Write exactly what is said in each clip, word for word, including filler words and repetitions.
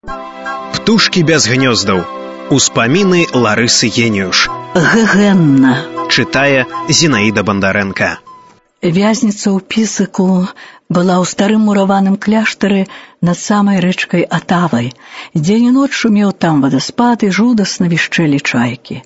Птушкі без гнёздаў. Успаміны Ларысы Геніюш. Гэгэнна. Чытае Зінаіда Бандарэнка. Вязніца ў Пісаку была ў старым мураваным кляштары над самай рэчкай Атавай. Дзень і ноч шумеў там вадаспад і жудасна вішчэлі чайкі.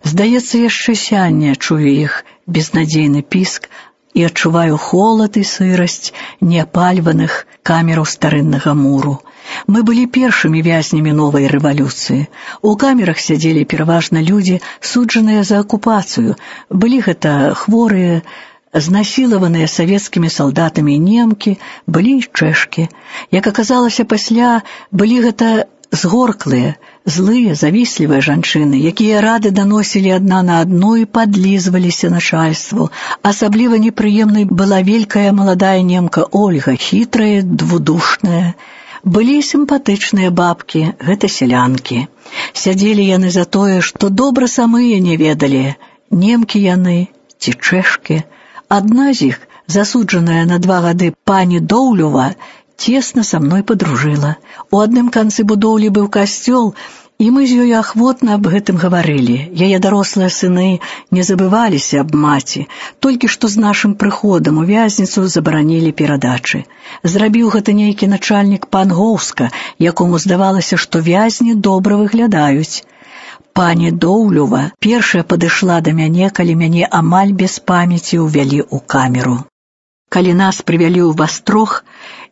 Здаецца, яшчэ сянне чую іх безнадзейны піск і адчуваю холад і сырасць неапальваных камераў старыннага муру. Мы былі першымі вязнямі новай рэвалюцыі. У камерах сядзелі пераважна людзі, суджаныя за акупацыю. Былі гэта хворыя, знасілаваныя савецкімі салдатамі немкі, былі і чэшкі. Як аказалася пасля, былі гэта згорклыя, злыя, завіслівыя жанчыны, якія рады даносілі адна на адну і падлізваліся начальству. Асабліва непрыемнай была великая маладая немка Ольга, хітрая, двудушная. Былі сімпатычныя бабкі, гэта сялянкі. Сядзелі яны за тое, што добра самыя не ведалі, немкі яны ці чэшкі. Адна з іх, засуджаная на два гады пані Доўлюва, цесна са мной падружыла. У адным канцы будоўлі быў касцёл, і мы з ёй ахвотна аб гэтым гаварылі. Яе дарослыя сыны не забываліся аб маці, толькі што з нашым прыходам у вязніцу забаранілі перадачы. Зрабіў гэта нейкі начальнік пан Гоўска, якому здавалася, што вязні добра выглядаюць. Пані Доўлюва першая падышла да мяне, калі мяне амаль без памяці ўвялі ў камеру. Калі нас прывялі ў вастрог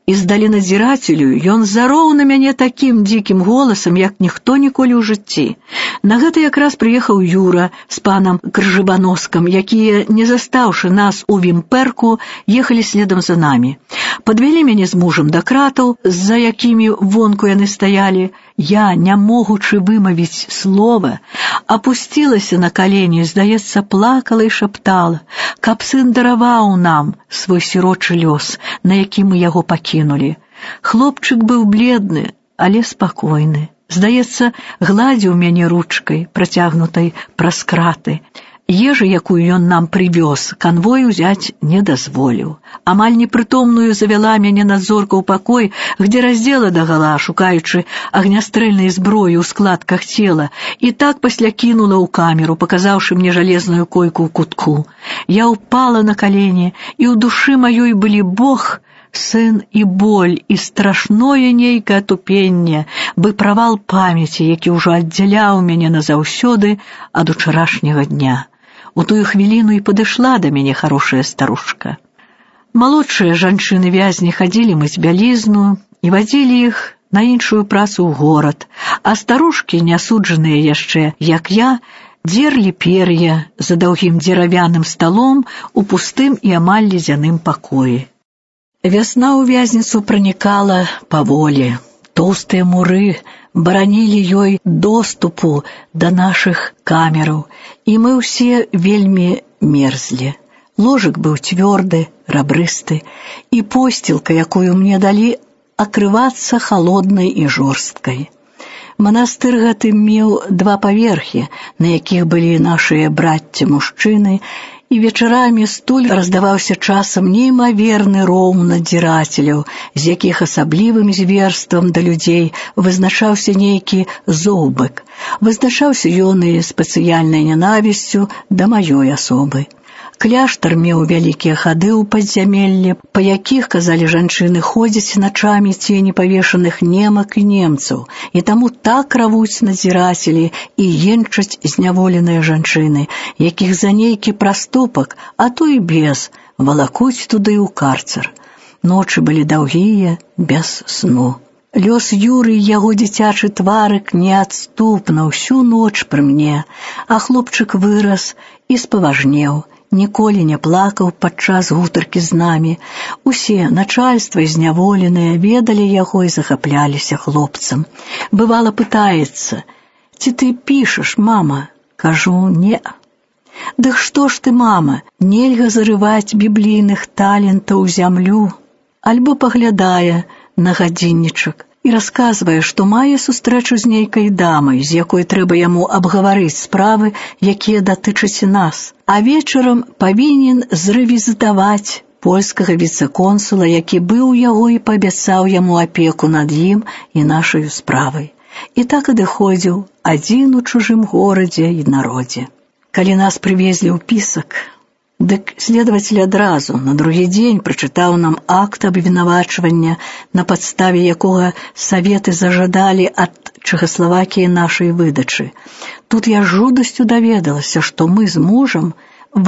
і здалі надзірацелю, ён зароў на мяне такім дзікім голасам, як ніхто ніколі ў жыцці. На гэта якраз прыехаў Юра з панам Кржыбаноскам, якія, не застаўшы нас у вімпэрку, ехалі следам за намі. Падвялі мяне з мужам да кратаў, за якімі вонку яны стаялі. Я, не могучы вымавіць слова, апусцілася на калені, здаецца, плакала і шаптала, каб сын дараваў нам свой сірочы лёс, на які мы яго пакінулі. Хлопчык быў бледны, але спакойны. Здаецца, гладзіў мяне ручкай, працягнутай праз краты. Ежы, якую ён нам прывёз, канвой узяць не дазволіў. Амаль непрытомную завяла мяне надзорка ў пакой, где раздзела дагала, шукаючы агнястрэльнай зброі ў складках цела, і так пасля кінула ў камеру, паказаўшы мне жалезную койку ў кутку. Я ўпала на калені, і ў душы маёй былі Бог, сын і боль, і страшное нейкае тупенне, бы правал памяці, які ўжо аддзяляў мяне назаўсёды ад учарашняга дня. У тую хвіліну і падышла да мяне хорошая старушка. Малодшыя жанчыны-вязні хадзілі мыць бялізну і вадзілі іх на іншую працу ў горад, а старушкі, нясуджаныя яшчэ, як я, дзерлі пер'я за даўгім дзеравяным сталом у пустым і амаль ледзяным пакоі. Вясна ў вязніцу пранікала паволі. Тоўстыя муры баранілі ёй доступу да нашых камераў, і мы ўсе вельмі мерзлі. Ложак быў цвёрды, рабрысты, і посцілка, якую мне далі, акрывацца халоднай і жорсткай. Манастыр гэты меў два паверхі, на якіх былі нашыя брацці-мужчыны, і вечарамі стуль раздаваўся часам неймаверны роў надзірацеляў, з якіх асаблівым зверствам да людзей вызначаўся нейкі зоўбык. Вызначаўся ён і спецыяльнай нянавісцю да маёй асобы. Кляштар меў вялікія хады ў падзямеллі, па якіх, казалі жанчыны, ходзяць начамі цені павешаных немак і немцаў, і таму так равуць надзірацелі і енчаць зняволеныя жанчыны, якіх за нейкі праступак, а то і без, валакуць туды ў карцер. Ночы былі даўгія, без сну. Лёс Юры і яго дзіцячы тварык неадступна ўсю ноч пры мне, а хлопчык вырас і спаважнеў. Ніколі не плакаў падчас гутаркі з намі. Усе, начальства і зняволеныя, ведалі яго і захапляліся хлопцам. Бывала, пытаецца: «Ці ты пішаш, мама?» Кажу: «Не». «Дык што ж ты, мама, нельга зарываць біблійных талентаў у зямлю?» Альбо паглядае на гадзіннічак і расказвае, што мае сустрэчу з нейкай дамай, з якой трэба яму абгаварыць справы, якія датычаць нас, а вечарам павінен зрэвізітаваць польскага віцэ-консула, які быў яго і паабяцаў яму апеку над ім і нашаю справай. І так адыходзіў адзін у чужым горадзе і народзе. Калі нас прывезлі ў Пісак, дык следователь адразу на другі дзень прачытаў нам акт абвінавачвання, на падставе якога саветы зажадалі ад Чэхаславакіі нашай выдачы. Тут я жудасцю даведалася, што мы з мужам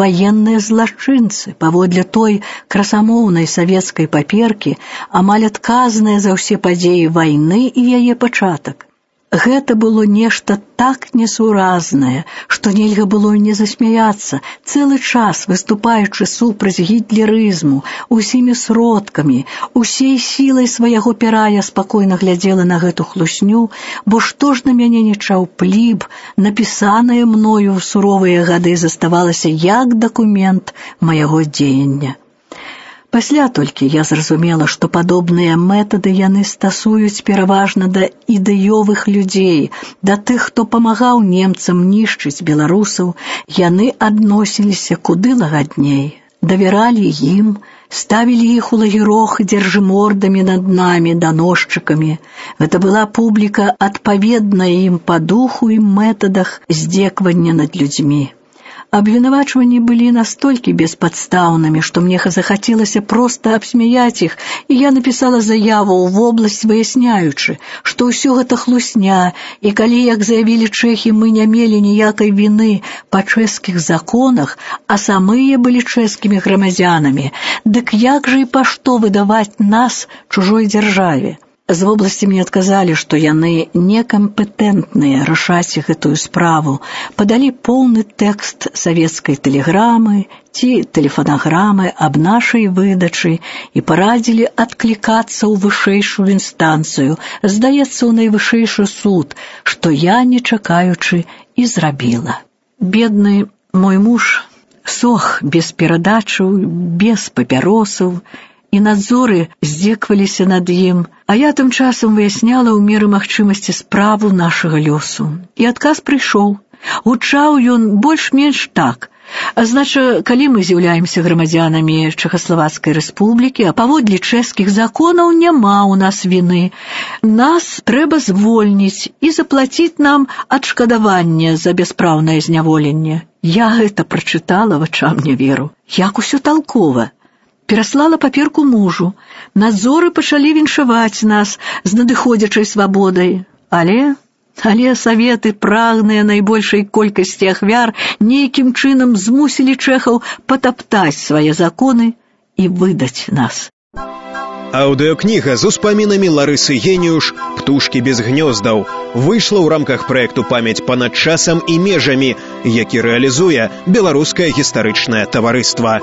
ваенныя злачынцы, паводле той красамоўнай савецкай паперкі, амаль адказныя за ўсе падзеі вайны і яе пачатак. Гэта было нешта так несуразнае, што нельга было і не засмяяцца, цэлы час выступаючы супраць гітлерызму, усімі сродкамі, усей сілай свайго пера я спакойна глядзела на гэту хлусню, бо што ж на мяне не чаўплі б, напісанае мною ў суровыя гады заставалася як дакумент майго дзеяння. Пасля толькі я зразумела, што падобныя метады яны стасуюць пераважна да ідэёвых людзей, да тых, хто памагаў немцам нішчыць беларусаў, яны адносіліся куды лагадней, давяралі ім, ставілі іх у лагерох дзяржымордамі над намі, даносчыкамі. Гэта была публіка, адпаведная ім па духу і метадах здзеквання над людзьмі. Абвінавачванні былі настолькі беспадстаўнымі, што мне захацелася проста абсмяяць іх, і я напісала заяву ў вобласць, выясняючы, што ўсё гэта хлусня, і калі, як заявілі чэхі, мы не мелі ніякай віны па чэшскіх законах, а самыя былі чэшскімі грамадзянамі, дык як жа і па што выдаваць нас чужой дзяржаве? З вобласці мне адказалі, што яны некампетэнтныя рашаць гэтую справу, падалі поўны тэкст савецкай тэлеграмы ці тэлефанаграмы аб нашай выдачы і парадзілі адклікацца ў вышэйшую інстанцыю, здаецца, ў найвышэйшы суд, што я, не чакаючы, і зрабіла. Бедны мой муж сох без перадачаў, без папяросаў, і надзоры здзекваліся над ім, а я тым часам выясняла ў меры магчымасці справу нашага лёсу. І адказ прыйшоў. Гучаў ён больш-менш так. А значы, калі мы з'яўляемся грамадзянамі Чэхаславацкай рэспублікі, а паводле чэшскіх законаў няма ў нас віны, нас трэба звольніць і заплаціць нам адшкадаванне за бяспраўнае зняволенне. Я гэта прачытала, вачам не веру. Як усё талкова. Пераслала паперку мужу. Надзоры пачалі віншаваць нас з надыходзячай свабодай. Але, але саветы, прагныя найбольшай колькасці ахвяр, нейкім чынам змусілі чэхаў патаптаць свае законы і выдаць нас. Аўдыёкніга з успамінамі Ларысы Геніюш «Птушкі без гнёздаў» выйшла ў рамках праекту «Памяць панад часам і межамі», які рэалізуе Беларускае гістарычнае таварыства.